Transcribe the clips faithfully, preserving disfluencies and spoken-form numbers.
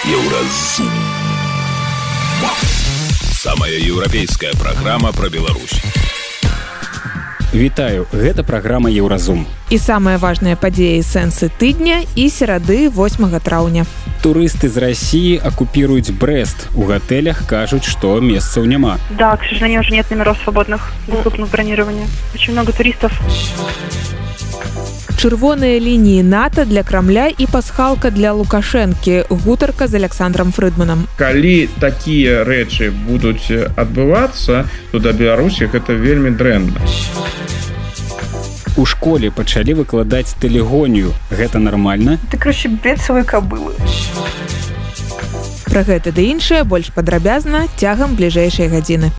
Еўразум. Самая еўрапейская праграма пра Беларусь. Вітаю, гэта праграма Еўразум. І самыя важныя падзеі сэнсы тыдня і серады восьмага траўня. Турысты з России оккупируют Брест. У готелях кажут, что месцев нема. Да, к сожалению, уже нет номеров свободных, доступных к бронированию. Очень много туристов. Чырвоныя лініі НАТО для Крамля і пасхалка для Лукашэнкі. Гутарка з Александром Фрыдманам. Калі такія рэчы будуць адбывацца, то да Беларусі гэта вельмі дрэнна. У школе пачалі выкладаць тэлегонію. Гэта нармальна? Ты, короче, бред свой кабылы. Пра гэта ды іншае больш падрабязна цягам бліжэйшай гадзіны.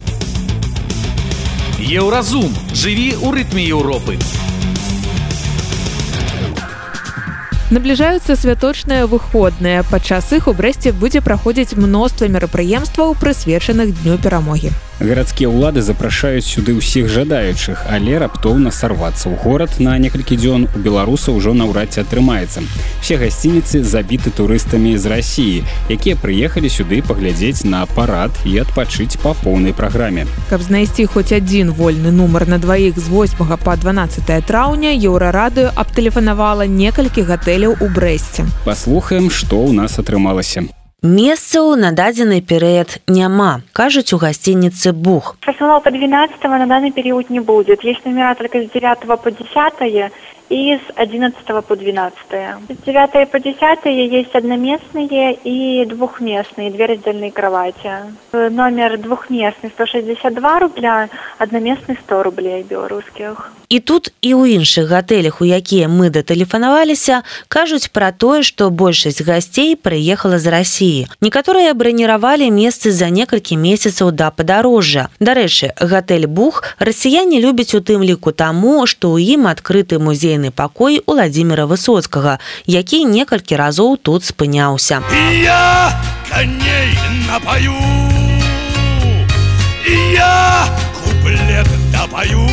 Еўразум. Жыві ў рытме Еўропы. Набліжаюцца святочныя выходныя. Падчас іх у Брэсце будзе праходзіць мноства мерапрыемстваў, прысвечаных Дню перамогі. Гарадскія ўлады запрашаюць сюды ўсіх жадаючых, але раптоўна сарвацца ў горад на некалькі дзён у беларусаў ужо наўрад ці атрымаецца. Все гасцініцы забіты турыстамі з России, якія прыехалі сюды паглядзець на парад і адпачыць па поўнай праграме. Каб знайсці хоць адзін вольны нумар на дваіх з восьмага па дванаццатае траўня, Еўрарадыё абтэлефанавала некалькі гатэляў у Брэсце. Паслухаем, што ў нас атрымалася. Месцаў на дадзены перыяд няма, кажуць у гостинице «Бух». Персонал по двенадцатого на данный период не будет. Есть номера только с девятого по десятое и с одиннадцатого по двенадцатое. С девятого по десятое есть одноместные и двухместные, две раздельные кровати. Номер двухместный сто шестьдесят два рубля, одноместный сто рублей белорусских. І тут і ў іншых гатэлях, у якія мы датэлефанаваліся, кажуць пра тое, што большасць гасцей прыехала з России. Некаторыя браніравалі месцы за некалькі месяцаў да падарожжа. Дарэчы, гатэль «Бух» расіяне любяць у тым ліку таму, што ў ім адкрыты музейны пакой Уладзіміра Высоцкага, які некалькі разоў тут спыняўся. І я коней напою, і я куплет допою.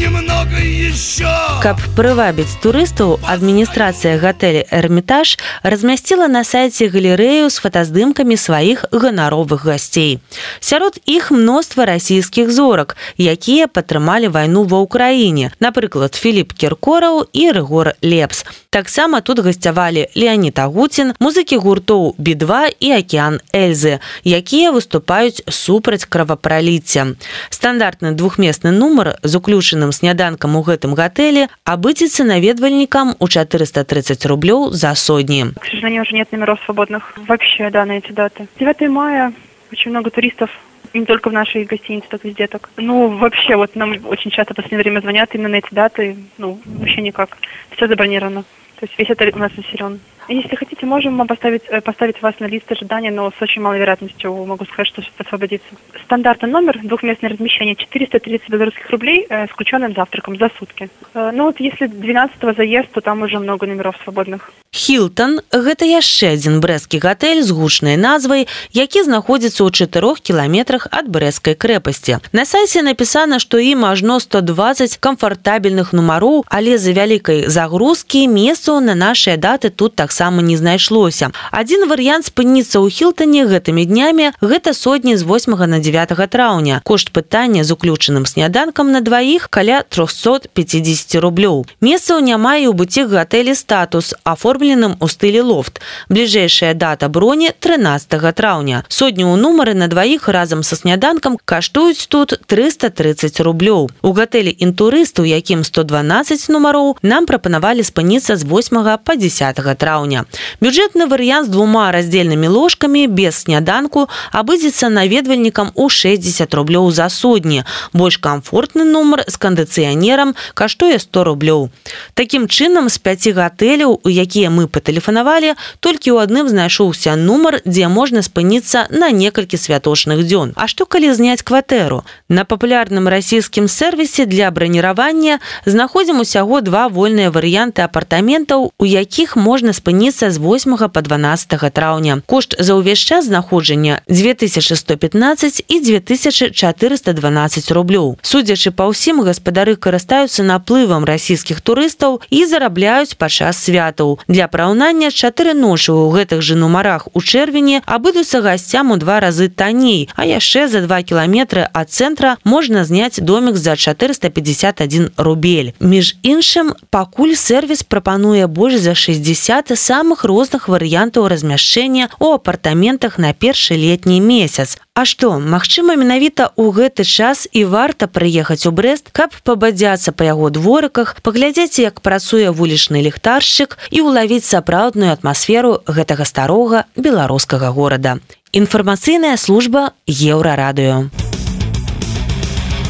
Немного еще. Каб прывабіць турыстаў, адміністрацыя гатэля «Эрмітаж» размясціла на сайце галерэю з фотаздымкамі сваіх ганаровых гасцей. Сярод іх мноства расійскіх зорак, якія падтрымалі вайну ва ўкраіне, напрыклад, Філіп Кіркораў і Рыгор Лепс. Таксама тут гасцявалі Леонід Агуцін, музыкі гуртоў «Би два» і «Акеан Эльзы», якія выступаюць супраць кровапраліцця. Стандартны двухместны нумар з уключаным сняданкам у гэтым гатэлі абыдзецца наведвальнікам у четыреста тридцать рублёў за сотни. К сожалению, уже нет номеров свободных вообще, да, на эти даты. девятого мая очень много туристов, не только в нашей гостинице, так везде так. Ну, вообще, вот нам очень часто в последнее время звонят именно на эти даты, ну, вообще никак. Все забронировано. То есть весь отель у нас заселен. Если хотите, можем вам поставить, поставить вас на лист ожидания, но с очень малой вероятностью могу сказать, что освободится. Стандартный номер, двухместное размещение, четыреста тридцать белорусских рублей э, с включенным завтраком за сутки. Э, ну вот если двенадцатого заезд, то там уже много номеров свободных. Хілтон – гэта яшчэ адзін брэсцкі гатэль з гучнай назвай, які знаходзіцца ў чатырох кіламетрах ад брэсцкай крэпасці. На сайце напісана, што ім ажно сто дваццаць камфартабельных нумароў, але з-за вялікай загрузкі месцаў на нашыя даты тут таксама не знайшлося. Адзін варыянт спыніцца ў Хілтоне гэтымі днямі – гэта сотні з восьмага на дзевятага траўня. Кошт пытання з уключаным сняданкам на дваіх каля триста пятьдесят рублёў. Месцаў няма і ў бутік гатэлі «Статус», аформленым у стылі лофт. Бліжэйшая дата броні – трынаццатага траўня. Сотню ў нумары на дваіх разам са сняданкам каштуюць тут триста тридцать рублёў. У гатэлі «Інтурыст», у якім сто дванаццаць нумароў, нам прапанавалі спыніцца з восьмага па дзесятага траўня. Бюджэтны варыянт з двума раздзельнымі ложкамі без сняданку абыдзецца наведвальнікам у шэсцьдзесят рублёў за сотні. Больш камфортны нумар з кандыцыянерам каштуе сто рублёў. Такім чынам, з пяці гатэляў, у якія мы патэлефанавалі, толькі ў адным знайшоўся нумар, дзе можна спыніцца на некалькі святочных дзён. А што калі зняць кватэру? На папулярным расійскім сервісе для браніравання знаходзім усяго два вольныя варыянты апартаментаў, у якіх можна спыніцца спыніцца з восьмага па дванаццатае траўня. Кошт за ўвесь час знаходжання дзве тысячы сто пятнаццаць і дзве тысячы чатырыста дванаццаць рублёў. Судзячы па ўсім, гаспадары карыстаюцца наплывам расійскіх турыстаў і зарабляюць падчас святаў. Для параўнання, чатыры ночы ў гэтых жа нумарах у чэрвені абыдуцца гасцям у два разы танней, а яшчэ за два кіламетры ад цэнтра можна зняць домік за чатырыста пятьдесят адзін рубель. Між іншым, пакуль сервіс прапануе больш за шэсцьдзесят самых розных варыянтаў размяшчэння ў апартаментах на першы летні месяц. А што, магчыма, менавіта ў гэты час і варта прыехаць у Брэст, каб пабадзяцца па яго дворыках, паглядзець, як працуе вулічны ліхтаршчык і ўлавіць сапраўдную атмасферу гэтага старога беларускага горада. Інфармацыйная служба Еўрарадыё.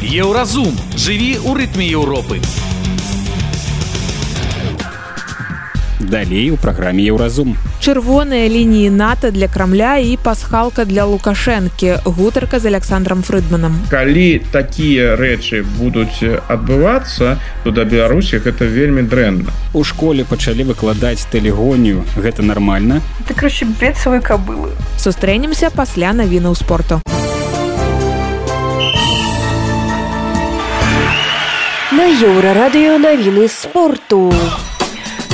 Еўразум. Жыві ў рытме Еўропы. Далей у праграме Еўразум. Чырвоныя лініі НАТО для Крамля і пасхалка для Лукашэнкі. Гутарка з Александром Фрыдманам. Калі такія рэчы будуць адбывацца, то да Беларусі гэта вельмі дрэнна. У школе пачалі выкладаць тэлегонію. Гэта нармальна? Это, короче, бред свой кобылы. Сустрэнемся пасля навінаў спорту. На Еўрарадыё навіны спорту.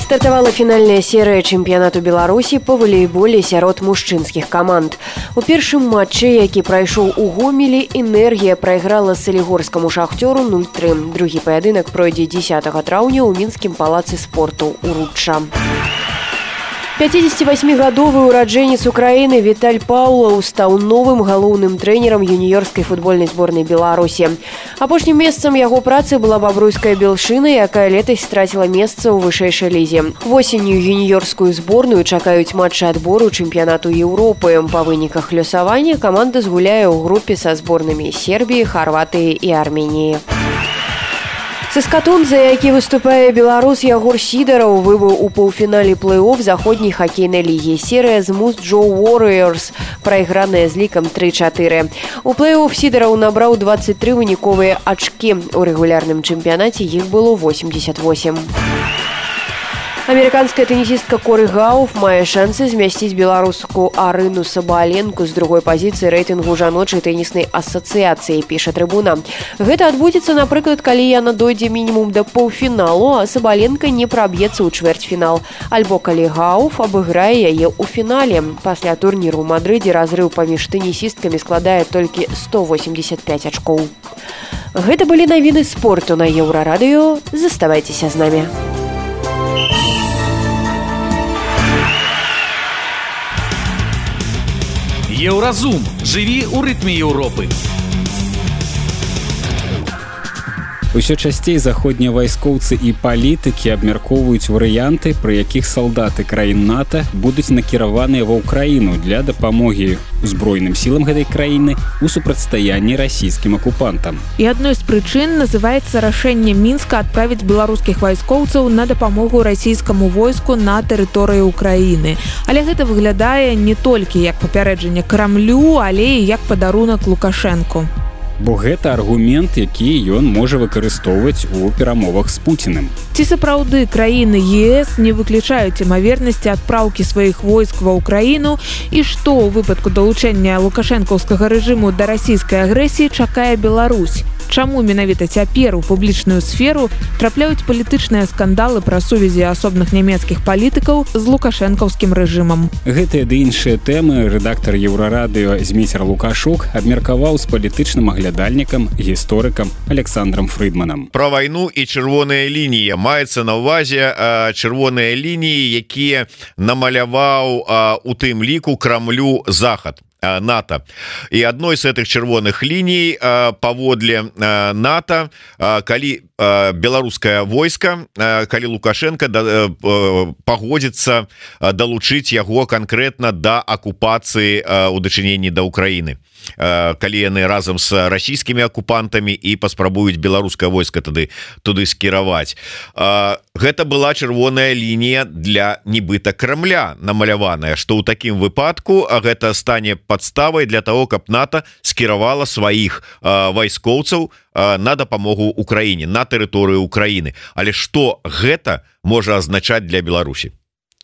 Стартавала фінальная серыя чэмпіянату Беларусі па валейболе сярод мужчынскіх каманд. У першым матчы, які прайшоў у Гомелі, «Энергія» прайграла салігорскаму «Шахтёру» нуль тры. Другі паядынак пройдзе дзесятага траўня ў мінскім палацы спорту «Уручча». пяцідзесяцівасьмігадовы ураджэнец Украіны Віталь Паўлаў стаў новым галоўным трэнерам юніёрскай футбольнай зборнай Беларусі. Апошнім месцам яго працы была бабруйская «Белшына», якая летась страціла месца ў вышэйшай лізе. Восенню юніёрскую зборную чакаюць матчы адбору чэмпіянату Еўропы. Па выніках лёсавання каманда згуляе ў групе са зборнымі Сербіі, Харватыі і Арменіі. Саскатун, за які выступае беларус Ягор Сідараў, выбыў у паўфінале плэй-офф заходняй хакейнай лігі. Серыя з Муз-Джо Warriors, прайграная з лікам тры чатыры. У плэй-офф Сідараў набраў дваццаць тры выніковыя ачкі. У рэгулярным чэмпіянаце іх было восемьдесят восемь. Амерыканская тенісістка Коры Гауф мае шансы змясціць беларуску Арыну Сабаленку з другой пазіцыі рэйтынгу жаночай тэніснай асацыяцыі, піша Трыбуна. Гэта адбудзецца, напрыклад, калі яна дойдзе мінімум да паўфіналу, а Сабаленка не праб'ецца ў чвэрцьфінал. Альбо калі Гауф абыграе яе ў фінале. Пасля турніру ў Мадрыдзе разрыў паміж тэнісісткамі складае толькі сто восемьдесят пять ачкоў. Гэта былі навіны спорту на Еўрарадыё. Заставайцеся з намі. Еўразум. Жыві ў рытме Еўропы. Усё часцей заходнія вайскоўцы і палітыкі абмяркоўваюць варыянты, пры якіх салдаты краін НАТО будуць накіраваныя ва ўкраіну для дапамогі узброеным сілам гэтай краіны у супрацьстаянні расійскім акупантам. І адной з прычын называецца рашэнне Мінска адправіць беларускіх вайскоўцаў на дапамогу расійскаму войску на тэрыторыі Украіны. Але гэта выглядае не толькі як папярэджанне Крамлю, але і як падарунак Лукашэнку. Бо гэта аргумент, які ён можа выкарыстоўваць у перамовах з Пуціним. Ці сапраўды краіны ЕС не выключаюць імавернасці адпраўкі сваіх войск ва ўкраіну і што ў выпадку далучэння лукашэнкаўскага рэжыму да расійскай агрэсіі чакае Беларусь? Чаму менавіта цяпер у публічную сферу трапляюць палітычныя скандалы пра сувязі асобных нямецкіх палітыкаў з лукашэнкаўскім рэжымам? Гэтыя ды іншыя тэмы рэдактар Еўрарадыё Змейцер Лукашук абмеркаваў з палітычным аглядальнікам, гісторыкам Александром Фрыдманам. Пра вайну і чырвоныя лініі. Маецца на ўвазе чырвоныя лініі, якія намаляваў у тым ліку Крамлю Захад. НАТО. І адной з гэтых чырвоных ліній паводле НАТО, калі беларускае войска, калі Лукашенко пагодзіцца далучыць яго канкрэтна да акупацыі ў дачыненні да Украіны. Калі яны разам з расійскімі акупантамі і паспрабуюць беларускае войска тады туды скіраваць. Гэта была чырвоная лінія для нібыта Крамля намаляваная, што ў такім выпадку гэта стане падставай для того, каб НАТО скіравала сваіх вайскоўцаў на дапамогу Украіне, на тэрыторыю Украіны. Але што гэта можа азначаць для Беларусі?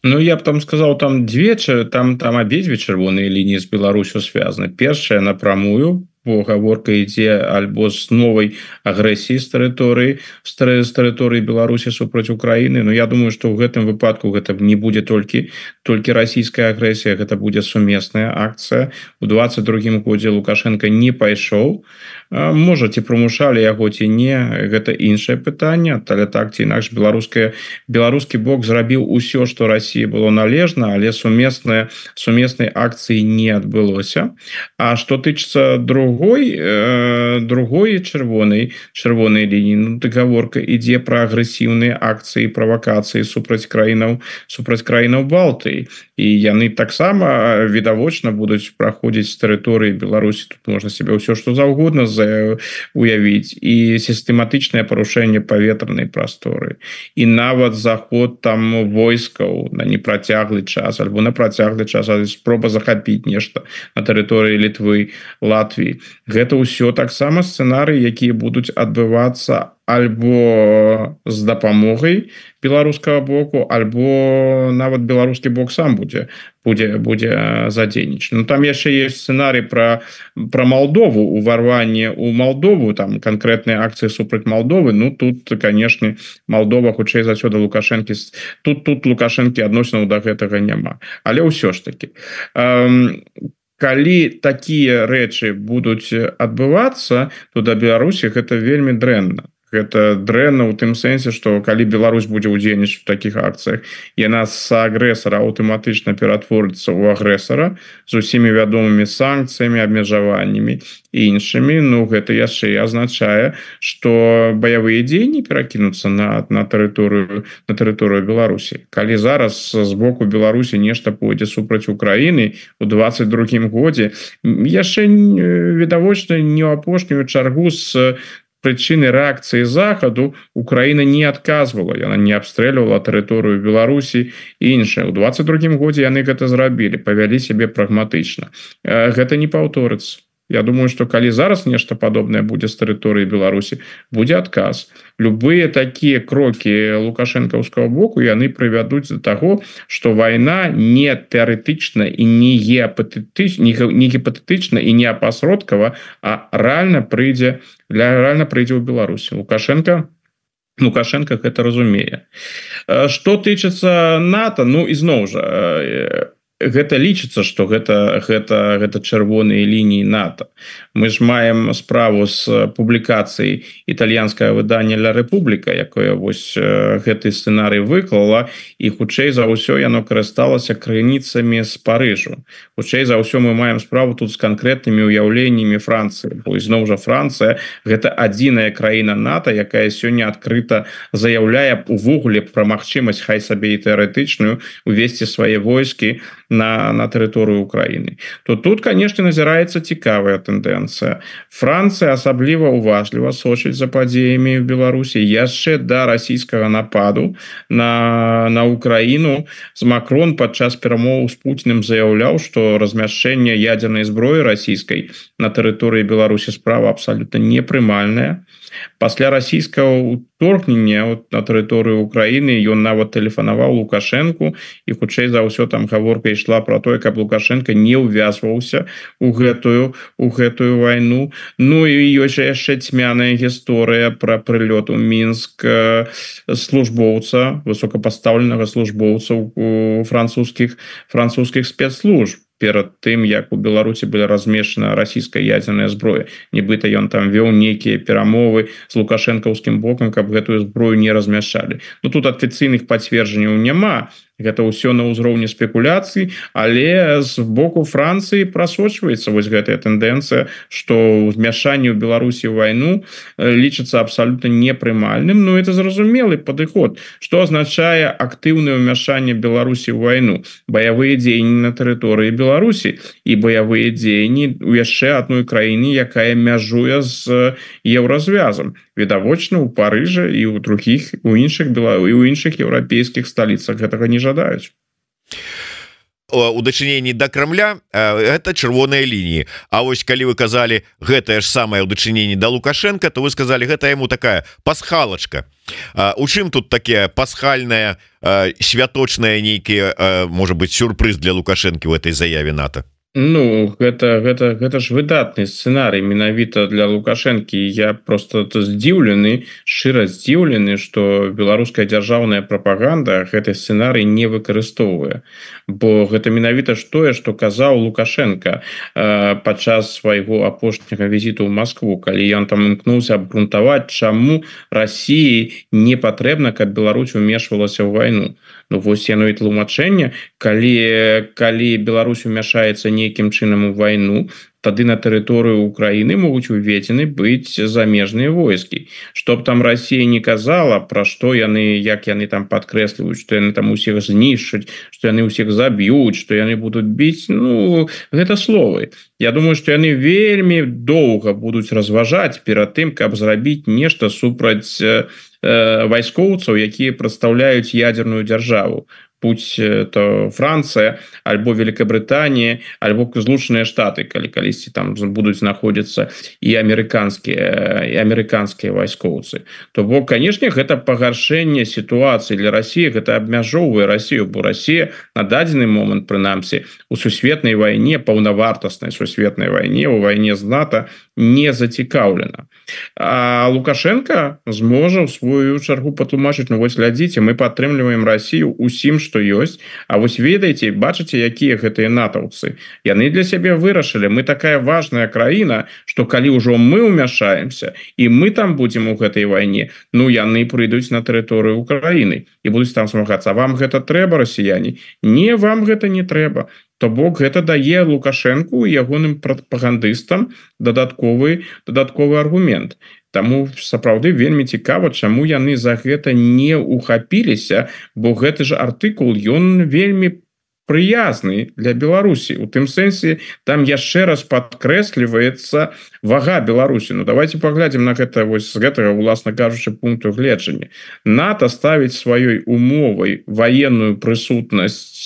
Ну я б там сказал, там две там там абедзве чырвоныя лініі з Беларусю связаны. Першая напрамую, бо гаворка ідзе альбо з новай агрэсіі з тэрыторыі з тэрыторыі Беларусі супраць Украіны. Но я думаю, што ў гэтым выпадку гэта не будзе толькі толькі расійская агрэсія, гэта будзе сумесная акцыя. У двадцать другім годзе Лукашенко не пайшоў, можа ці прымушалі яго ці не, гэта іншае пытанне, але так ці інакш беларуская беларускі бок зрабіў усё, што Расія было належна, але сумесныя сумеснай акцыі не адбылося. А што тычыцца другой э, другой чырвонай чырвонай лініі, ну, гаворка ідзе пра агрэсіўныя акцыі, правакацыі супраць краінаў супраць краінаў Балтыі, і яны таксама відавочна будуць праходзіць з тэрыторыі Беларусі. Тут можна себе ўсё што заўгодна уявіць, і сістэматычнае парушэнне паветранай прасторы, і нават заход там войскаў на непрацяглы час альбо на працяглы час, спроба захапіць нешта на тэрыторыі Літвы, Латвіі. Гэта ўсё таксама сцэнарыі, якія будуць адбывацца альбо з дапамогай беларускага боку, альбо нават беларускі бок сам будзе будзе будзе задзейнічаць. Ну там яшчэ есть сцэнарый пра пра Малдову, уварванне ў Малдову, там канкрэтныя акцыі супраць Малдовы. Ну тут, канешне, Малдова хутчэй за ўсё да Лукашэнкі, тут тут Лукашэнкі адносінаў да гэтага няма. Але ўсё ж такі, эм, калі такія рэчы будуць адбывацца, то да Беларусі гэта вельмі дрэнна. Гэта дрэнна ў тым сэнсе, што калі Беларусь будзе ўдзельнічаць у такіх акцыях, яна з агрэсара аўтаматычна ператворыцца ў агрэсара з усімі вядомымі санкцыямі, абмежаваннямі і іншымі. Ну гэта яшчэ і азначае, што баявыя дзеянні перакінуцца на на тэрыторыю на тэрыторыю Беларусі. Калі зараз з боку Беларусі нешта пойдзе супраць Украіны у двадцать другім годзе, яшчэ відавочна не ў апошнюю чаргу з прычыны рэакцыі захаду Украіна не адказвала, яна не абстрэльвала тэрыторыю Беларусі і іншае. У двадцать другім годзе яны гэта зрабілі, павялі сябе прагматычна. Гэта не паўторыцца. Я думаю, што калі зараз нешта падобнае будзе з тэрыторыі Беларусі, будзе адказ. Любыя такія крокі лукашэнкаўскага боку, яны прывядуць да таго, што вайна не тэарэтычна і не геапатэтычна, не гіпатэтычна і не апасродкава, а рэальна прыйдзе для рэальна прыйдзе ў Беларусі. Лукашенко Лукашенко гэта разумее. Што тычыцца НАТО, ну ізноў жа, гэта лічыцца, што гэта гэта гэта чырвоныя лініі НАТО. Мы ж маем справу з публікацыяй італьянскага выдання «Ля Рэпубліка», якое вось гэты сцэнарый выклала, і хутчэй за ўсё яно карысталася крыніцамі з Парыжу. Хутчэй за ўсё мы маем справу тут з канкрэтнымі ўяўленнямі Францыі, бо ізноў жа Францыя гэта адзіная краіна НАТО, якая сёння адкрыта заяўляе увогуле пра магчымасць, хай сабе і тэарэтычную, увесці свае войскі на на тэрыторыю Украіны. То тут, канешне, назіраецца цікавая тэндэнцыя. Францыя асабліва уважліва сочыць за падзеямі в Беларусі яшчэ да расійскага нападу на на Украіну. З Макрон падчас перамоў з Пуціним заяўляў, што размяшчэнне ядзернай зброі расійскай на тэрыторыі Беларусі справа абсалютна непрымальная. Пасля расійскага уторгнення на тэрыторыю Украіны ён нават тэлефанаваў Лукашэнку, і хутчэй за ўсё там гаворка ішла пра тое, каб Лукашенко не ўвязваўся у гэтую у гэтую вайну. Ну і ёсць яшчэ цьмяная гісторыя пра прылёт у Мінск службоўца, высокапастаўленага службоўца у французскіх французскіх спецслужб перад тым, як у Беларусі была размешчана расійская ядзерная зброя. Нібыта ён там вёў нейкія перамовы з лукашэнкаўскім бокам, каб гэтую зброю не размяшчалі. Ну тут афіцыйных пацверджанняў няма. Гэта ўсё на ўзроўні спекуляцый, але з боку Францыі прасочваецца вось гэтая тэндэнцыя, што ўзмяшанне ў Беларусі ў вайну лічыцца абсалютна непрымальным. Ну это зразумелы падыход, што азначае актыўнае ўмяшанне Беларусі ў вайну, баявыя дзеянні на тэрыторыі Беларусі і баявыя дзеянні ў яшчэ адной краіны, якая мяжуе з еўразвязам. Відавочна ў Парыжы і ў другіх у іншых Беларусі і ў іншых еўрапейскіх сталіцах гэтага не жадаюць. у дачыненні да Крамля это чырвоныя лініі. А вось калі вы казалі гэтае ж самае ў дачыненні да Лукашенко, то вы сказали гэта яму такая пасхалачка. У чым тут такія пасхальная святочная нейкія можа быть сюрпрыз для Лукашэнкі в этой заяве НАТО? Ну гэта гэта гэта ж выдатны сцэнарый менавіта для Лукашэнкі. Я просто здзіўлены, шчыра здзіўлены, што беларуская дзяржаўная прапаганда гэты сцэнарый не выкарыстоўвае, бо гэта менавіта ж тое, што казаў Лукашенко э, падчас свайго апошняга візіту ў Маскву, калі ён там імкнуўся абгрунтаваць, чаму Расіі не патрэбна, каб Беларусь умешвалася ў вайну. Ну вось яно і тлумачэнне, калі калі Беларусь умяшаецца нейкім чынам у вайну, тады на тэрыторыю Украіны могуць уведзены быць замежныя войскі. Чтоб там Расія не казала, пра што яны, як яны там падкрэсліваюць, што яны там усіх знішчаць, што яны ўсіх заб'юць, што яны будуць біць, ну гэта словы. Я думаю, што яны вельмі доўга будуць разважаць перад тым, каб зрабіць нешта супраць э, вайскоўцаў, якія прадстаўляюць ядерную дзяржаву. Будь то Франция, альбо Великобритания, альбо Злучаныя Штаты, калі калісьці там будуць знаходзіцца і амерыканскія і амерыканскія вайскоўцы. То бок, канешне, гэта пагаршэнне сітуацыі для Расіі, гэта абмяжоўвае Расію, бо Расія на дадзены момант, прынамсі, у сусветнай вайне, паўнавартаснай сусветнай вайне, у вайне з НАТО не зацікаўлена. А Лукашенко зможа ў сваю чаргу патлумачыць, ну вось глядзіце, мы падтрымліваем Расію усім, што ёсць, а вось ведаеце, бачыце, якія гэтыя натаўцы. Яны для сябе вырашылі, мы такая важная краіна, што калі ўжо мы ўмяшаемся і мы там будзем у гэтай вайне, ну яны прыйдуць на тэрыторыю Украіны і будуць там змагацца. Вам гэта трэба, расіяне? Не, вам гэта не трэба. То бок гэта дае Лукашэнку і ягоным прапагандыстам дадатковы дадатковы аргумент. Таму сапраўды вельмі цікава, чаму яны за гэта не ухапіліся, бо гэты ж артыкул, ён вельмі прыязны для Беларусі. У тым сэнсе, там яшчэ раз падкрэсліваецца вага Беларусі. Ну давайте паглядзім на гэта вось з гэтага, уласна кажучы, пункту гледжання. НАТО ставіць сваёй умовай ваенную прысутнасць,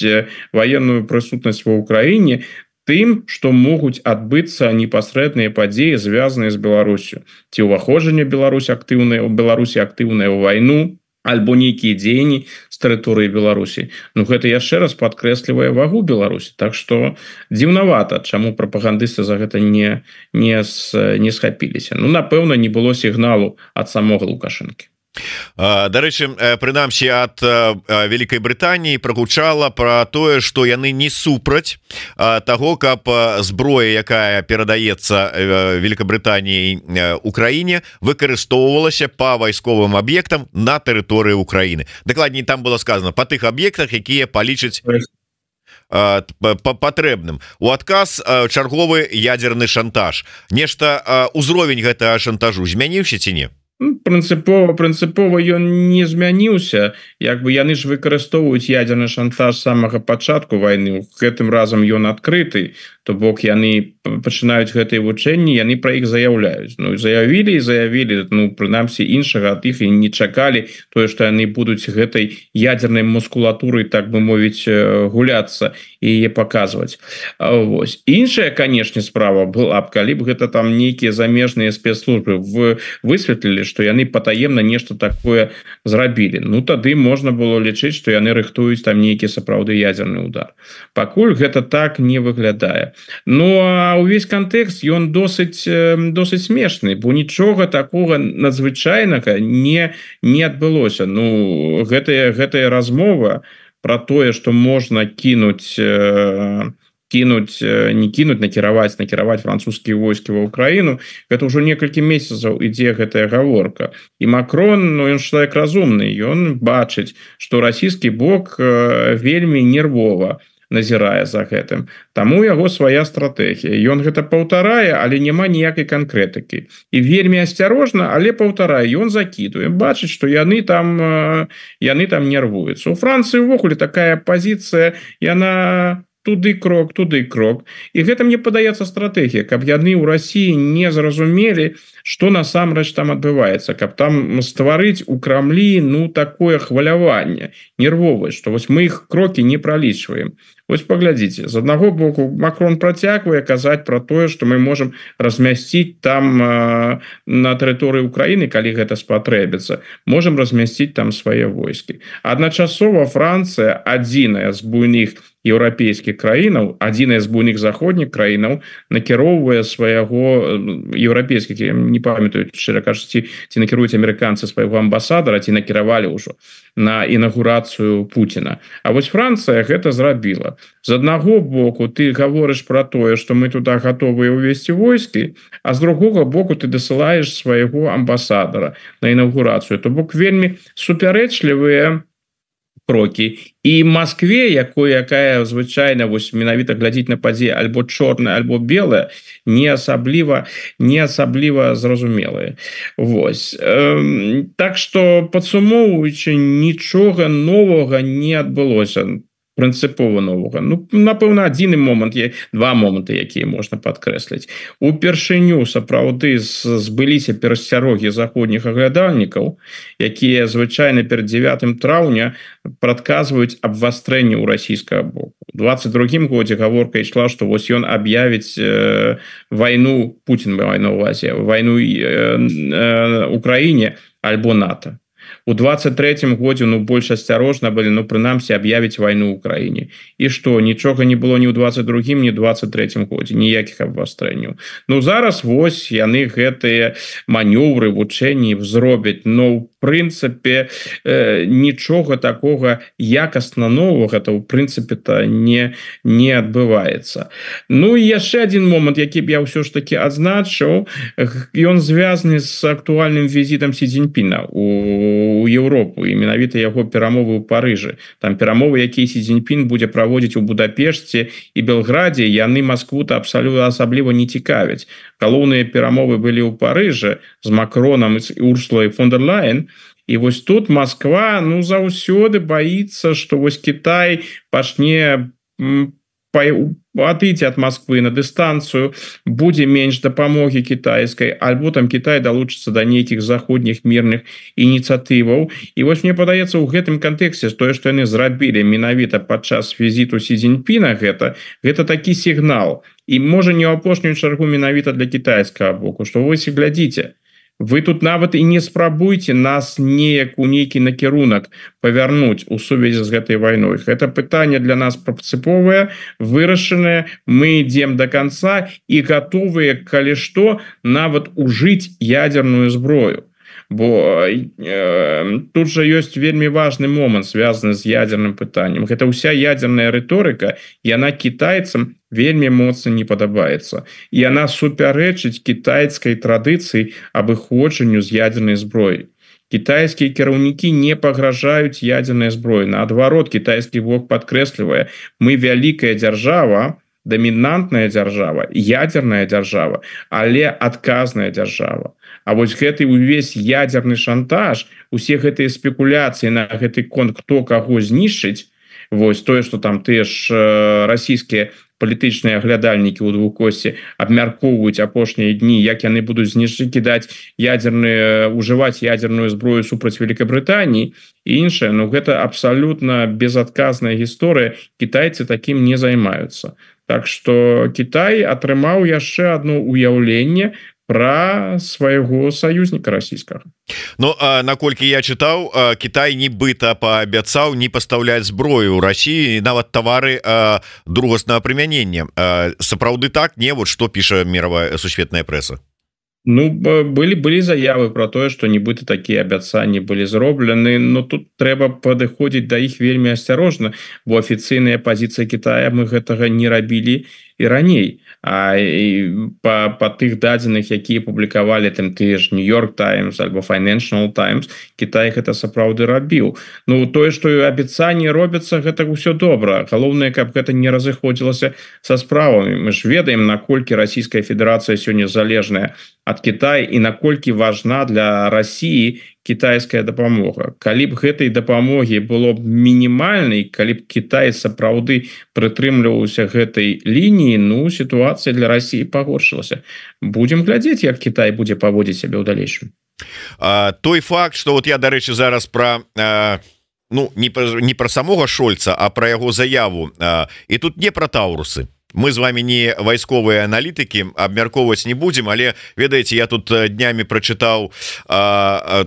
ваенную прысутнасць ва Ўкраіне тым, што могуць адбыцца непасрэдныя падзеі, звязаныя з Беларусю. Ці ўваходжанне Беларусь актыўнае ў Беларусі актыўнае ў вайну, альбо нейкія дзеянні з тэрыторыі Беларусі. Ну гэта яшчэ раз падкрэслівае вагу Беларусі. Так што дзіўнавата, чаму прапагандысты за гэта не, не, не схапіліся. Ну, напэўна, не было сігналу ад самога Лукашэнкі. Дарэчы, прынамсі ад Вялікай Брытаніі прагучала пра тое, што яны не супраць таго, каб зброя, якая перадаецца Великабрытаніяй Украіне, выкарыстоўвалася па вайсковым аб'ектам на тэрыторыі Украіны. Дакладней, там было сказано па тых аб'ектах, якія палічаць патрэбным. У адказ чарговы ядерны шантаж. Нешта узровень гэтага шантажу змяніўся ці не? Прынцыпова прынцыпова ён не змяніўся. Як бы яны ж выкарыстоўваюць ядерны шантаж з самага пачатку вайны. Гэтым разам ён адкрыты, то бок яны пачынаюць гэтыя вучэнні, яны пра іх заяўляюць. Ну заявілі і заявілі, ну прынамсі іншага ад іх і не чакалі тое, што яны будуць гэтай ядернай мускулатурай, так бы мовіць, гуляцца і яе паказваць. Вось. Іншая, канешне, справа была б, калі б гэта там нейкія замежныя спецслужбы высветлілі, што яны патаемна нешта такое зрабілі. Ну тады можна было лічыць, што яны рыхтуюць там нейкі сапраўды ядерны удар. Пакуль гэта так не выглядае. Ну а ўвесь кантэкст ён досыць досыць смешны, бо нічога такога надзвычайнага не не адбылося. Ну гэтая гэтая размова пра тое, што можна кінуць кінуць, не кінуць, накіраваць, накіраваць французскія войскі ва Ўкраіну, гэта ўжо некалькі месяцаў ідзе гэтая гаворка. І Макрон, ну ён чалавек разумны, ён бачыць, што расійскі бок вельмі нервова назірае за гэтым. Таму яго свая стратэгія. Ён гэта паўтарае, але няма ніякай канкрэтыкі. І вельмі асцярожна, але паўтарае, ён закідуе. Бачыць, што яны там яны там нервуюцца. У Францыі ўвогуле такая пазіцыя, яна туды крок туды крок і гэта мне падаецца стратэгія каб яны ў России не зразумелі что насамрэч там адбываецца каб там стварыць у Крамлі ну такое хваляванне нервовае что вось мы их крокі не пролічваем. Вось паглядзіце з аднаго боку Макрон працягвае казаць про тое что мы можем размясціць там э, на тэрыторыі Украины калі гэта спатрэбіцца можем размясціць там свае войскі. Адначасова Францыя адзіная з буйных еўрапейскіх краінаў адзіная з буйных заходніх краінаў накіроўвае свайго еўрапейскіх не памятаю шчыра кажучы ці накіруюць амерыканцы свайго амбасадара ці накіравалі ўжо на інагурацыю Путіна. А вось Францыя гэта зрабіла. З аднаго боку ты гаворыш про тое что мы туда готовыя увесці войскі а з другога боку ты дасылаеш свайго амбасадара на інагурацыю то бок вельмі супярэчлівыя крокі і Москве якой якая звычайна вось менавіта глядзіць на падзеі альбо чорная альбо белая не асабліва не асабліва зразумелыя. Вось эм, так что падсумоўваючы нічога новага не адбылося прынцыпова новага. Ну напэўна адзіны момант є два моманты якія можна падкрэсліць. Упершыню сапраўды збыліся перасцярогі заходніх аглядальнікаў якія звычайна перад дзевятым траўня прадказваюць абвастрэнне ў расійскага боку. У двадцать другім годзе гаворка ішла што вось ён аб'явіць э, вайну Путін вайну ўвазе вайну э, э, Украіне альбо НАТО. У двадцать третьем годзе ну больш асцярожна былі ну прынамсі аб'явіць вайну ў Украіне і што нічога не было ні ў двадцать другім ні двадцать третьем годзе ніякіх абвастрэнняў. Ну зараз вось яны гэтыя манёвры вучэнні зробяць но в прынцыпе э, нічога такога якасна новага то ў прынцыпе-то не не адбываецца. Ну і яшчэ один момант які б я ўсё ж таки адзначыў ён звязаны з актуальным візітам Сі Цзіньпіна у у Европу і менавіта яго перамовы ў Парыжы. Там перамовы якія Сі Цзіньпін будзе праводзіць у Будапешце і Белградзе яны Москву-то абсалютна асабліва не цікавяць. Галоўныя перамовы былі ў Парыжы з Макронам і Урсулай фон дер Ляйен. І вось тут Москва ну заўсёды боится что вось Китай пачне отойти от Москвы на дистанцию будзе менш дапамогі китайской альбо там Китай долучится до нейкіх заходніх мирных ініцыятываў. І вось мне падаецца ў гэтым контексте тое что яны зрабілі менавіта падчас візіту Сі Цзіньпіна гэта гэта такі сігнал і можа не ў апошнюю чаргу менавіта для китайскага боку что вось і глядзіце вы тут нават і не спрабуйте нас неяк у нейкі накірунак павярнуць у сувязі з гэтай вайной. Гэта пытанне для нас прынцыповае вырашанае мы ідзем до конца і готовыя калі што нават ужыць ядерную зброю. Бо э, тут же ёсць вельмі важный момант связаны з ядерным пытаннем. Гэта ўся ядерная рыторыка яна китайцам вельмі моцна не падабаецца і яна супярэчыць кітайскай традыцыі абыходжанню з ядернай зброі. Кітайскія кіраўнікі не пагражаюць ядернай зброі, наадварот кітайскі бок падкрэслівае мы вялікая дзяржава дамінантная дзяржава ядерная дзяржава але адказная дзяржава. А вось гэты увесь ядерны шантаж усе гэтыя спекуляцыі на гэты конт хто каго знішчыць вось тое что там тыя ж расійскія палітычныя аглядальнікі ў двукосці абмяркоўваюць апошнія дні як яны будуць знішчыць кідаць ядерныя ужываць ядерную зброю супраць Великабрытаніі і іншае. Ну гэта абсалютна безадказная гісторыя кітайцы такім не займаюцца. Так что Кітай атрымаў яшчэ одно уяўленне про свайго саюзніка расійскага. Ну а наколькі я чытаў Кітай нібыта паабяцаў не пастаўляць зброю ў Расіі нават тавары другаснага прымянення. Сапраўды так не вот што піша мировая сусветная прэса. Ну былі былі заявы про тое что нібыта такія абяцанні былі зроблены но тут трэба падыходзіць да іх вельмі асцярожна бо афіцыйная пазіцыя Китая мы гэтага не рабілі і раней а па, па тых дадзеных якія публікавалі там тыя ж Нью-Йорк Таймс альбо Financial Times Китай гэта сапраўды рабіў. Ну тое што абяцанні робяцца гэта ўсё добра галоўнае каб гэта не разыходзілася са справамі. Мы ж ведаем наколькі Расійская Федэрацыя сёння залежная ад Китая і наколькі важна для России кітайская дапамога. Калі б гэтай дапамогі было б мінімальнай, калі б Кітай сапраўды прытрымліваўся гэтай лініі, ну сітуацыя для России пагоршылася. Будем глядзець, як Кітай будзе паводзіць сябе ў далейшым. А, той факт, что вот я, дарэчы, зараз про а, ну не про, не про самого Шольца, а про яго заяву, а, і тут не про таурусы. Мы з вами не вайсковыя аналітыкі, абмяркоўваць не будзем, але ведаеце, я тут днямі прачытаў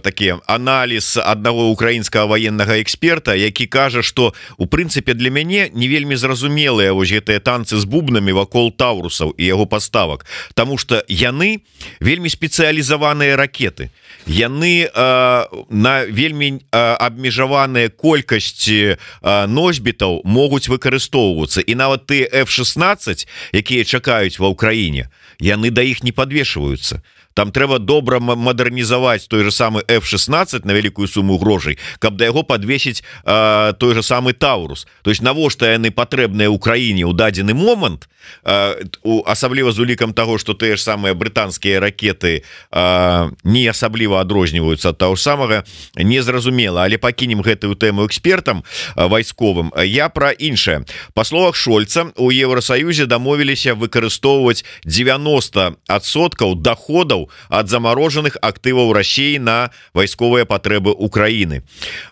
такі аналіз аднаго украінскага ваеннага эксперта, які кажа, што у прынцыпе для мяне не вельмі зразумелыя вось гэтыя танцы з бубнамі вакол таурусаў і яго паставак, таму што яны вельмі спецыялізаваныя ракеты. Яны э, на вельмі э, абмежаваныя колькасці э, носьбітаў могуць выкарыстоўвацца, і нават ты эф шестнадцать, якія чакаюць ва ўкраіне, яны да іх не падвешваюцца. Там трэба добра мадэрнізаваць той же самы эф шестнадцать на вялікую суму грошай, каб да яго падвесіць э, той же самы таурус. То есть навошта яны патрэбныя ўкраіне ў дадзены момант, э, асабліва з улікам таго, што тыя ж самыя брытанскія ракеты э, не асабліва адрозніваюцца ад таго ж самага, незразумела. Але пакінем гэтую тэму экспертам э, вайсковым. Я пра іншае. Па словах Шольца, у Еўрасаюзе дамовіліся выкарыстоўваць девяносто адсоткаў доходаў ад замарожаных актываў России на вайсковыя патрэбы Украины.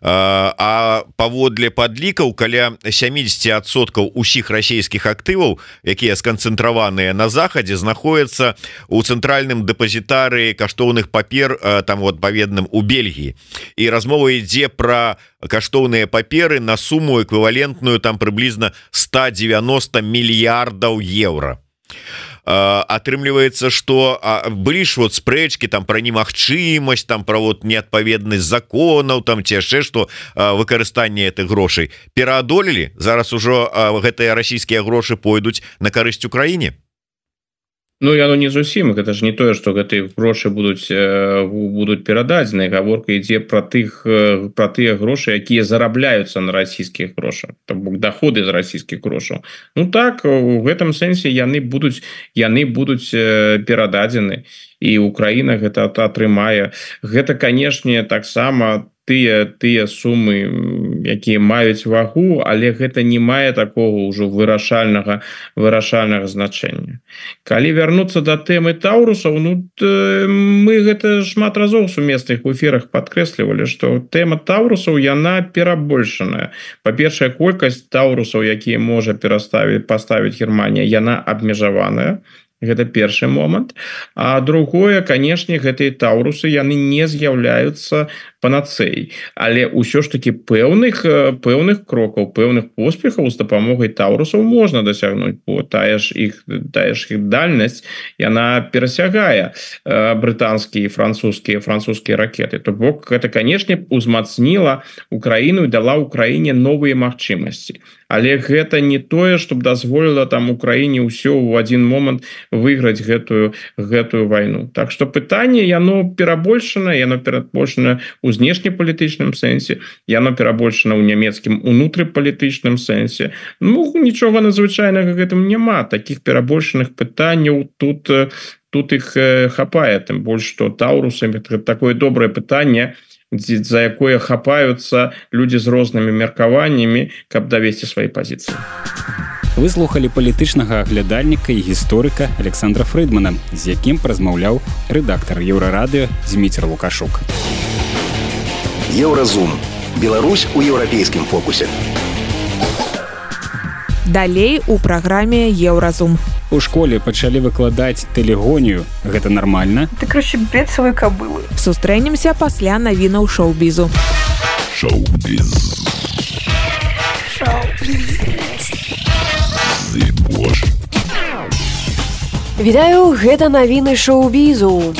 А паводле падлікаў, каля семьдесят адсоткаў усіх расійскіх актываў, якія сканцэнтраваныя на захадзе, знаходзяцца у цэнтральным дэпазітарыі каштоўных папер, там адпаведным у Бельгіі. І размова ідзе пра каштоўныя паперы на суму эквівалентную там прыблізна сто девяносто мільярдаў еўра. Атрымліваецца, што былі ж вот спрэчкі там пра немагчымасць, там пра вот неадпаведнасць законаў, там ці яшчэ што выкарыстанне гэтых грошай пераадолелі. Зараз ужо гэтыя расійскія грошы пойдуць на карысць Украіне. Ну, яно не зусім, гэта ж не тое, што гэтыя грошы будуць будуць перададзены. Гаворка ідзе пра тых пра тыя грошы, якія зарабляюцца на расійскіх грошах, то бок доходы з расійскіх грошаў. Ну так, у гэтым сэнсе яны будуць яны будуць перададзены, і Украіна гэта атрымае. Гэта, канешне, таксама тыя тыя сумы, якія маюць вагу, але гэта не мае такого ўжо вырашальнага вырашальнага значэння. Калі вярнуцца да тэмы таурусаў, ну мы гэта шмат разоў сумесных у эфірах падкрэслівалі, што тэма таурусаў яна перабольшаная. Па-першае, колькасць таурусаў, якія можа пераставіць паставіць Германія, яна абмежаваная. Гэта першы момант. А другое, канешне, гэтыя таурусы яны не з'яўляюцца панацэяй, але ўсё ж таки пэўных пэўных крокаў, пэўных поспехаў з дапамогай таурусаў можна дасягнуць, бо тая ж іх тая ж іх дальнасць яна перасягае брытанскія і французскія французскія ракеты. То бок гэта, канешне, узмацніла Украіну і дала Украіне новыя магчымасці. Але гэта не тое, што дазволіла там Украіне ўсё ў адзін момант выйграць гэтую гэтую вайну. Так што пытанне яно перабольшана, яно перабольшана у знешнепалітычным сэнсе, яно перабольшана ў нямецкім унутрыпалітычным сэнсе. Ну, нічога надзвычайнага гэтым няма. Такіх перабольшаных пытанняў тут тут іх хапае, тым больш што таурусы такое добрае пытанне, за якое хапаюцца людзі з рознымі меркаваннямі, каб давесці свае пазіцыі. Вы слухалі палітычнага аглядальніка і гісторыка Александра Фрыдмана, з якім празмаўляў рэдактар Еўрарадыё Зміцер Лукашук. Еўразум. Беларусь у еўрапейскім фокусе. Далей у праграме Еўразум. У школе пачалі выкладаць тэлегонію. Гэта нармальна? Ты, короче, бедствовой кобылы. Сустрэнемся пасля навінаў шоу-бізу. Шоу-біз. Шоу-біз. Вітаю, гэта навіны шоу-бізу.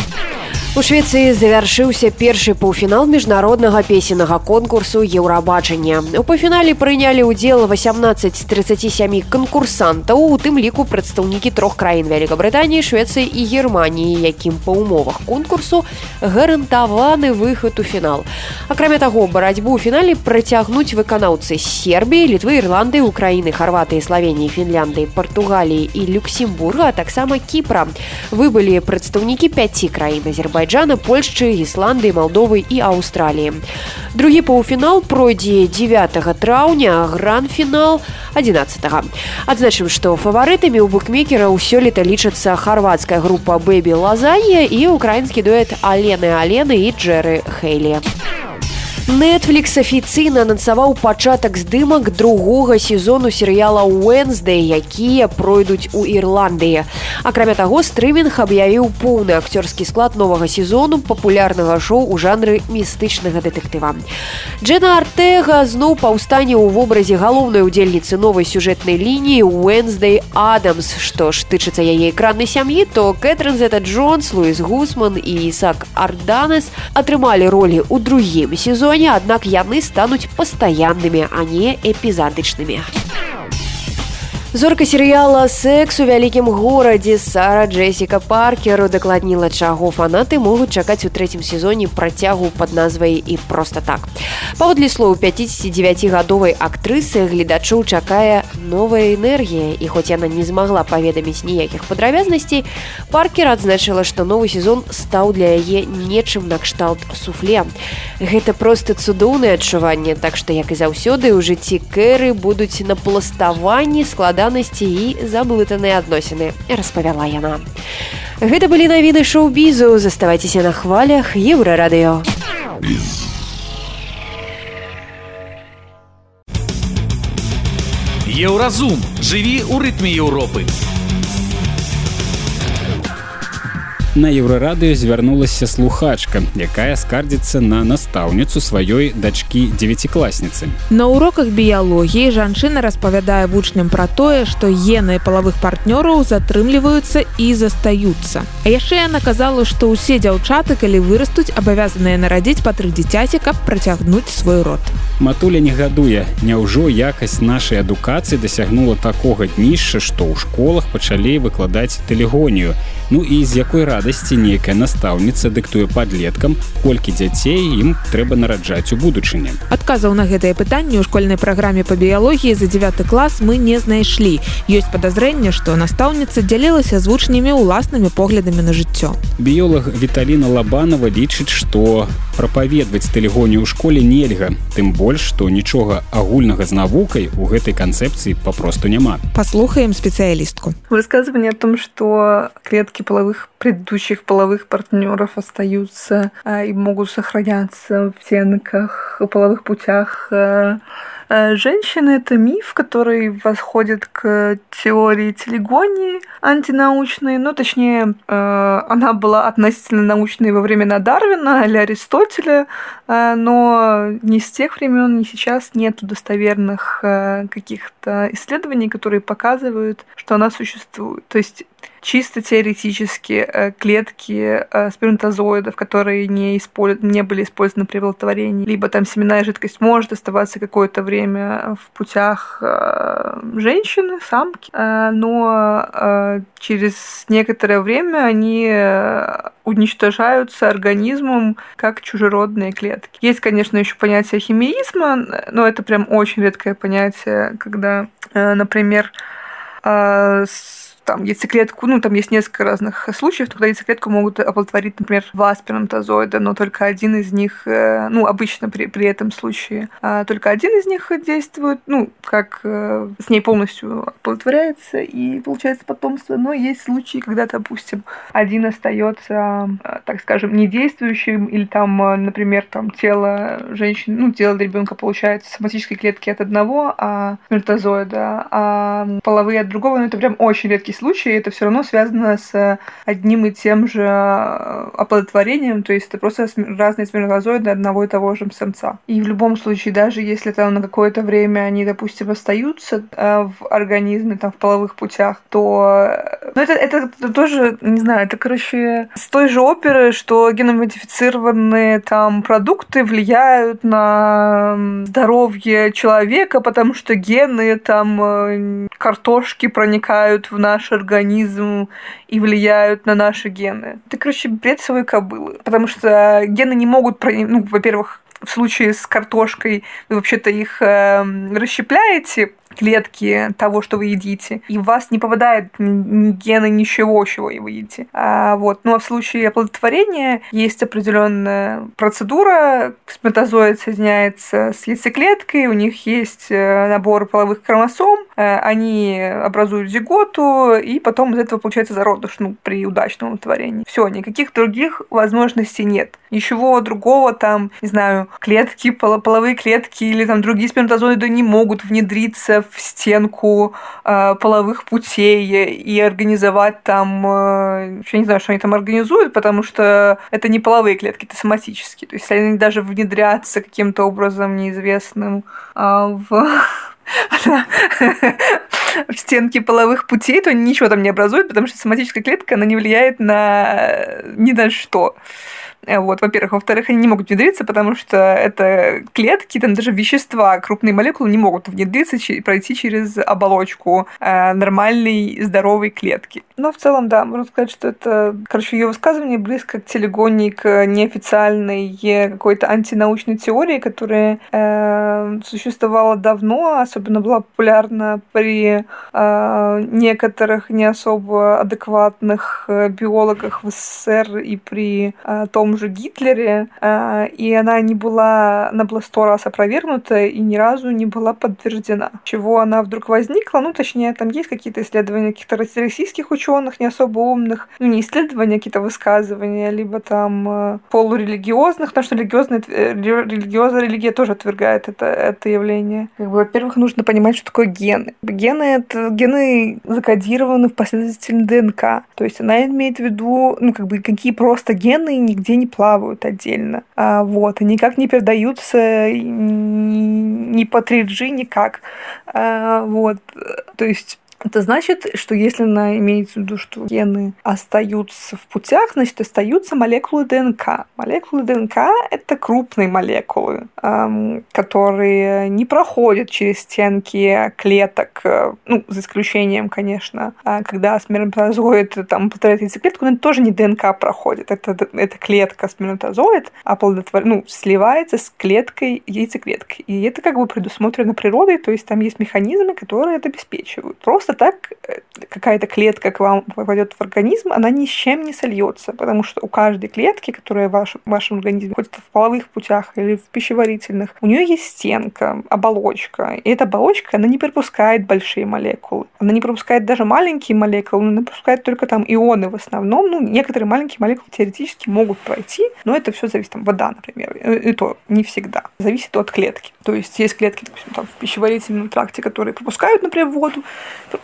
У Швецыі завяршыўся першы паўфінал міжнароднага песеннага конкурсу «Еўрабачання». У паўфінале прынялі ўдзел восемнадцать з тридцати семи канкурсантаў, у тым ліку прадстаўнікі трох краін Вялікабрытаніі, Швецыі і Германіі, якім па ўмовах конкурсу гарантаваны выхад у фінал. Акрамя таго, барацьбу ў фінале працягнуць выканаўцы з Сербіі, Літвы, Ірландыі, Украіны, Харватыі, Славеніі, Фінляндыі, Партугаліі і Люксембурга, а таксама Кіпра. Выбылі прадстаўнікі пяці краін: Азербайджана, Азербайджана, Польшчы, Ісландыі, Малдовы і Аўстраліі. Другі паўфінал пройдзе дзевятага траўня, а гранд-фінал адзінаццатага. Адзначым, што фаварытамі ў букмекера сёлета лічацца харвацкая група Бэбі Лазанья і украінскі дуэт Алены Алены і Джэры Хейлі. Netflix афіцыйна анансаваў пачатак здымак другога сезону серыяла «Уэнсдэй», якія пройдуць у Ірландыі. Акрамя таго, стрымінг аб'явіў поўны акцёрскі склад новага сезону папулярнага шоу ў жанры містычнага дэтэктыва. Джена Артега зноў паўстане ў вобразе галоўнай удзельніцы новай сюжэтнай лініі «Уэнсдэй Адамс». Што ж тычыцца яе экраннай сям'і, то Кэтрин Зета-Джонс, Луіс Гусман і Ісаак Арданес атрымалі ролі ў другім сезоне, аднак яны стануць пастаяннымі, а не эпізадычнымі. Зорка серыяла «Секс у вялікім горадзе» Сара Джессіка Паркер удакладніла, чаго фанаты могуць чакаць у трэцім сезоне працягу пад назвай «І проста так». Паводле слоў пяцідзесяцідзевяцігадовай актрысы, гледачоў чакае новая энергія, і хоць яна не змагла паведаміць ніякіх падрабязнасцей, Паркер адзначыла, што новы сезон стаў для яе нечым накшталт суфле. Гэта проста цудоўнае адчуванне, так што, як і заўсёды, у жыцці Кэры будуць напластаванні, складанасці і заблытаныя адносіны, распавяла яна. Гэта былі навіны шоу-бізу. Заставайцеся на хвалях Еўрарадыё. Еўразум. Жыві ў рытме Еўропы. На Еўрарадыё звярнулася слухачка, якая скардзіцца на настаўніцу сваёй дачкі дзевяцікласніцы. На уроках біялогіі жанчына распавядае вучням пра тое, што гены палавых партнёраў затрымліваюцца і застаюцца. А яшчэ яна казала, што ўсе дзяўчаты, калі вырастуць, абавязаныя нарадзіць па тры дзіцяці, каб працягнуць свой род. Матуля не гадуе. Няўжо якасць нашай адукацыі дасягнула такога днішча, што ў школах пачалі выкладаць тэлегонію. Ну і з якой радасці нейкая настаўніца дыктуе падлеткам, колькі дзяцей ім трэба нараджаць у будучыні. Адказаў на гэтае пытанне ў школьнай праграме па біялогіі за дзевяты клас мы не знайшлі. Ёсць падазрэнне, што настаўніца дзялілася з вучнямі ўласнымі поглядамі на жыццё. Біёлаг Віталіна Лабанова лічыць, што прапаведваць тэлегонію ў школе нельга, тым больш, што нічога агульнага з навукай у гэтай канцэпцыі папросту няма. Послухаем специалистку. Высказывание о том, что клетки половых предыдущих половых партнеров остаются а, и могут сохраняться в стенках, половых путях а, а, женщины, это миф, который восходит к теории телегонии антинаучной, ну, точнее, а, она была относительно научной во времена Дарвина или Аристотеля, а, но ни с тех времен, ни сейчас нет достоверных а, каких-то исследований, которые показывают, что она существует. То есть чисто теоретически клетки сперматозоидов, которые не, использ... не были использованы при оплодотворении, либо там семенная жидкость может оставаться какое-то время в путях женщины, самки, но через некоторое время они уничтожаются организмом как чужеродные клетки. Есть, конечно, еще понятие химеизма, но это прям очень редкое понятие, когда, например, там яйцеклетку, ну, там есть несколько разных случаев, когда яйцеклетку могут оплодотворить, например, два сперматозоида, но только один из них, ну, обычно при, при этом случае, только один из них действует, ну, как с ней полностью оплодотворяется и получается потомство, но есть случаи, когда, допустим, один остается, так скажем, недействующим, или там, например, там тело женщины, ну, тело ребенка получается соматической клетки от одного а сперматозоида, а половые от другого, но это прям очень редкий случае это все равно связано с одним и тем же оплодотворением, то есть это просто разные сперматозоиды одного и того же самца. И в любом случае, даже если там на какое-то время они, допустим, остаются в организме, там, в половых путях, то ну, это, это тоже, не знаю, это, короче, с той же оперы, что геномодифицированные там продукты влияют на здоровье человека, потому что гены там картошки проникают в наш организм и влияют на наши гены. Это, короче, бред совой кобылы. Потому что гены не могут проникнуть, ну, во-первых, в случае с картошкой вы вообще-то их э, расщепляете, клетки того, что вы едите, и в вас не попадают ни гены, ничего, чего вы едите. А, вот. Ну а в случае оплодотворения есть определенная процедура. Сперматозоид соединяется с яйцеклеткой, у них есть набор половых хромосом, они образуют зиготу, и потом из этого получается зародыш, ну, при удачном оплодотворении. Все, никаких других возможностей нет. Ничего другого там, не знаю, клетки, половые клетки или там другие сперматозоиды не могут внедриться в стенку э, половых путей и организовать там, э, я не знаю, что они там организуют, потому что это не половые клетки, это соматические. То есть они даже внедрятся каким-то образом неизвестным э, в... в стенке половых путей, то они ничего там не образуют, потому что соматическая клетка, она не влияет на ни на что. Вот, во-первых. Во-вторых, они не могут внедриться, потому что это клетки, там даже вещества, крупные молекулы не могут внедриться и пройти через оболочку э, нормальной, здоровой клетки. Но в целом, да, можно сказать, что это, короче, ее высказывание близко к телегонии, к неофициальной какой-то антинаучной теории, которая э, существовала давно, особенно была популярна при э, некоторых не особо адекватных биологах в СССР и при э, том же Гитлере, и она не была, она была сто раз опровергнута и ни разу не была подтверждена. Чего она вдруг возникла? Ну, точнее, там есть какие-то исследования каких-то российских ученых, не особо умных, ну, не исследования, а какие-то высказывания, либо там полурелигиозных, потому что религиозная, религиозная религия тоже отвергает это, это явление. Как бы, во-первых, нужно понимать, что такое гены. Гены — это гены закодированы в последовательной ДНК. То есть она имеет в виду, ну, как бы, какие просто гены нигде не плавают отдельно. А, вот, и никак не передаются ни, ни по три джи, никак. А, вот, то есть это значит, что если она имеет в виду, что гены остаются в путях, значит, остаются молекулы ДНК. Молекулы ДНК — это крупные молекулы, эм, которые не проходят через стенки клеток, э, ну, за исключением, конечно, э, когда сперматозоид там повторяет яйцеклетку, но это тоже не ДНК проходит, это, это клетка сперматозоид, оплодотвор... ну, сливается с клеткой яйцеклеткой. И это как бы предусмотрено природой, то есть там есть механизмы, которые это обеспечивают. Просто так какая-то клетка к вам попадет в организм, она ни с чем не сольется, потому что у каждой клетки, которая в вашем, в вашем организме ходит в половых путях или в пищеварительных, у нее есть стенка, оболочка. И эта оболочка, она не пропускает большие молекулы. Она не пропускает даже маленькие молекулы, она пропускает только там ионы в основном. Ну, некоторые маленькие молекулы теоретически могут пройти, но это все зависит, там, вода, например, и то не всегда. Зависит от клетки. То есть есть клетки, допустим, там, в пищеварительном тракте, которые пропускают, например, воду,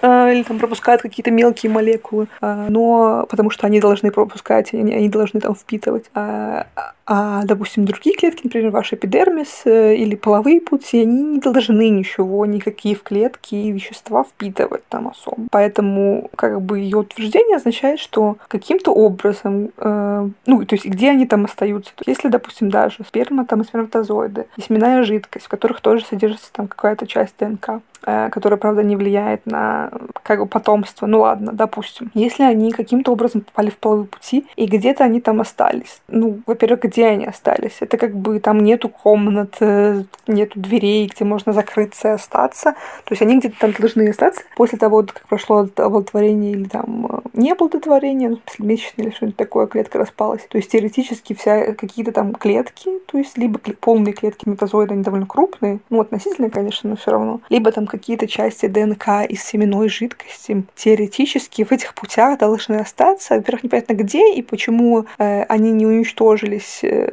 или там пропускают какие-то мелкие молекулы, но потому что они должны пропускать, они, они должны там впитывать. А, а, допустим, другие клетки, например, ваш эпидермис или половые пути, они не должны ничего, никакие в клетки и вещества впитывать там особо. Поэтому как бы ее утверждение означает, что каким-то образом, э, ну, то есть где они там остаются. Если, допустим, даже сперма, там, и сперматозоиды, и семенная жидкость, в которых тоже содержится там какая-то часть ДНК, которая, правда, не влияет на как бы потомство. Ну ладно, допустим. Если они каким-то образом попали в половые пути, и где-то они там остались. Ну, во-первых, где они остались? Это как бы там нету комнат, нету дверей, где можно закрыться и остаться. То есть они где-то там должны остаться после того, как прошло оплодотворение или там не оплодотворение, ну, в смысле месячное или что-нибудь такое, клетка распалась. То есть теоретически вся какие-то там клетки, то есть либо полные клетки метазоида, они довольно крупные, ну, относительно, конечно, но все равно, либо там какие-то части ДНК из семенной жидкости теоретически в этих путях должны остаться. Во-первых, непонятно где и почему э, они не уничтожились э,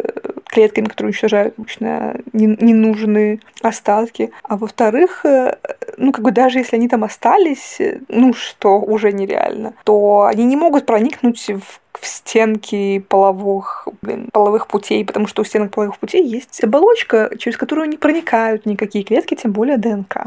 клетками, которые уничтожают обычно ненужные остатки. А во-вторых, э, ну, как бы даже если они там остались, э, ну, что уже нереально, то они не могут проникнуть в в стенки половых, блин, половых путей, потому что у стенок половых путей есть оболочка, через которую не проникают никакие клетки, тем более ДНК.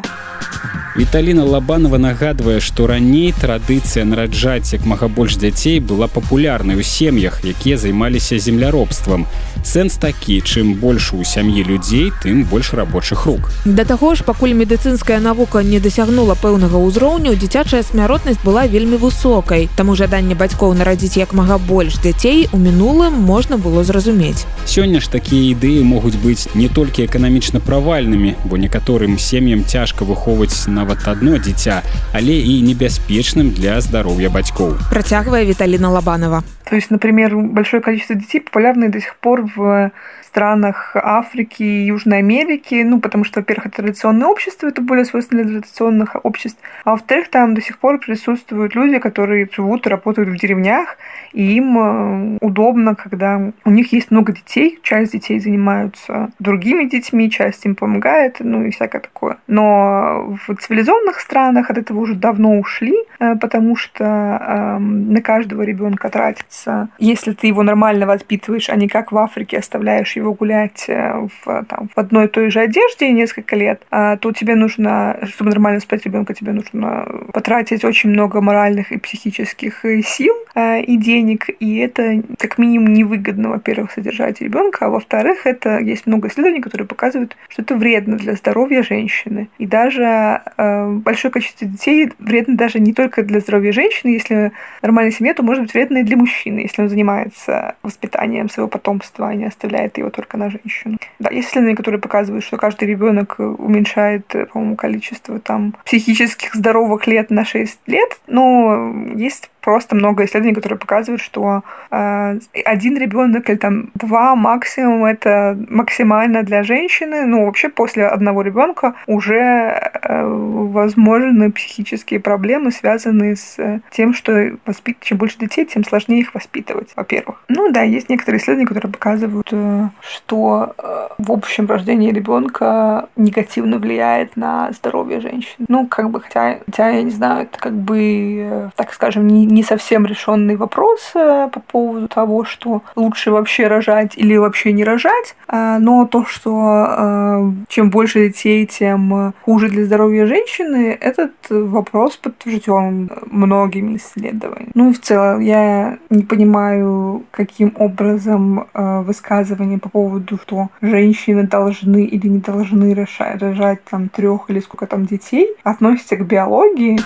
Віталіна Лабанова нагадвае, што раней традыцыя нараджаць як мага больш дзяцей была папулярнай у сем'ях, якія займаліся земляробствам. Сэнс такі, чым больш у сям'і людзей, тым больш рабочых рук. Да таго ж, пакуль медыцынская навука не дасягнула пэўнага ўзроўню, дзіцячая смяротнасць была вельмі высокай. Таму жаданне бацькоў нарадзіць як мага больш дзяцей у мінулым можна было зразумець. Сёння ж такія ідэі могуць быць не толькі эканамічна правальнымі, бо некаторым сем'ям цяжка выхоўваць нават одно дзіця, але і небяспечным для здароўя бацькоў. Працягвае Виталина Лобанова. То есть, например, большое количество детей популярны до сих пор в странах Африки и Южной Америки, ну, потому что, во-первых, это традиционное общество, это более свойственно для традиционных обществ, а во-вторых, там до сих пор присутствуют люди, которые живут и работают в деревнях, и им удобно, когда у них есть много детей, часть детей занимаются другими детьми, часть им помогает, ну, и всякое такое. Но в цивилизованных странах от этого уже давно ушли, потому что э, на каждого ребенка тратится, если ты его нормально воспитываешь, а не как в Африке оставляешь его гулять в, там, в одной и той же одежде несколько лет, то тебе нужно, чтобы нормально спать ребенка, тебе нужно потратить очень много моральных и психических сил и денег, и это как минимум невыгодно, во-первых, содержать ребенка, а во-вторых, это есть много исследований, которые показывают, что это вредно для здоровья женщины. И даже э, большое количество детей вредно даже не только для здоровья женщины, если нормальная семья, то может быть вредно и для мужчины, если он занимается воспитанием своего потомства, а не оставляет его только на женщину. Да, есть исследования, которые показывают, что каждый ребенок уменьшает, по-моему, количество там психических здоровых лет на шесть лет, но есть просто много исследований, которые показывают, что э, один ребенок или там два максимум это максимально для женщины. Ну, вообще после одного ребенка уже э, возможны психические проблемы, связанные с тем, что воспит... чем больше детей, тем сложнее их воспитывать, во-первых. Ну да, есть некоторые исследования, которые показывают, э, что э, в общем рождение ребенка негативно влияет на здоровье женщины. Ну, как бы, хотя, хотя я не знаю, это как бы, э, так скажем, не не совсем решенный вопрос по поводу того, что лучше вообще рожать или вообще не рожать, но то, что чем больше детей, тем хуже для здоровья женщины, этот вопрос подтвержден многими исследованиями. Ну и в целом я не понимаю, каким образом высказывания по поводу, что женщины должны или не должны рожать, рожать там трех или сколько там детей, относятся к биологии.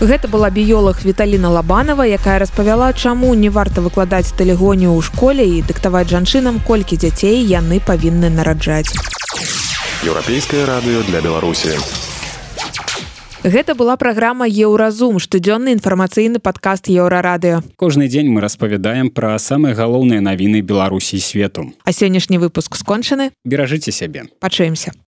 Гэта была біёлаг Виталина Лобанова, якая распавяла, чаму не варта выкладаць тэлегонію ў школе і дыктаваць жанчынам, колькі дзяцей яны павінны нараджаць. Еўрапейскае радыё для Беларусі. Гэта была праграма «Еўразум», штодзённы інфармацыйны падкаст Еўрарадыё. Кожны дзень мы распавядаем пра самыя галоўныя навіны Беларусі і свету. А сённяшні выпуск скончаны. Беражыце сябе. Пачуемся.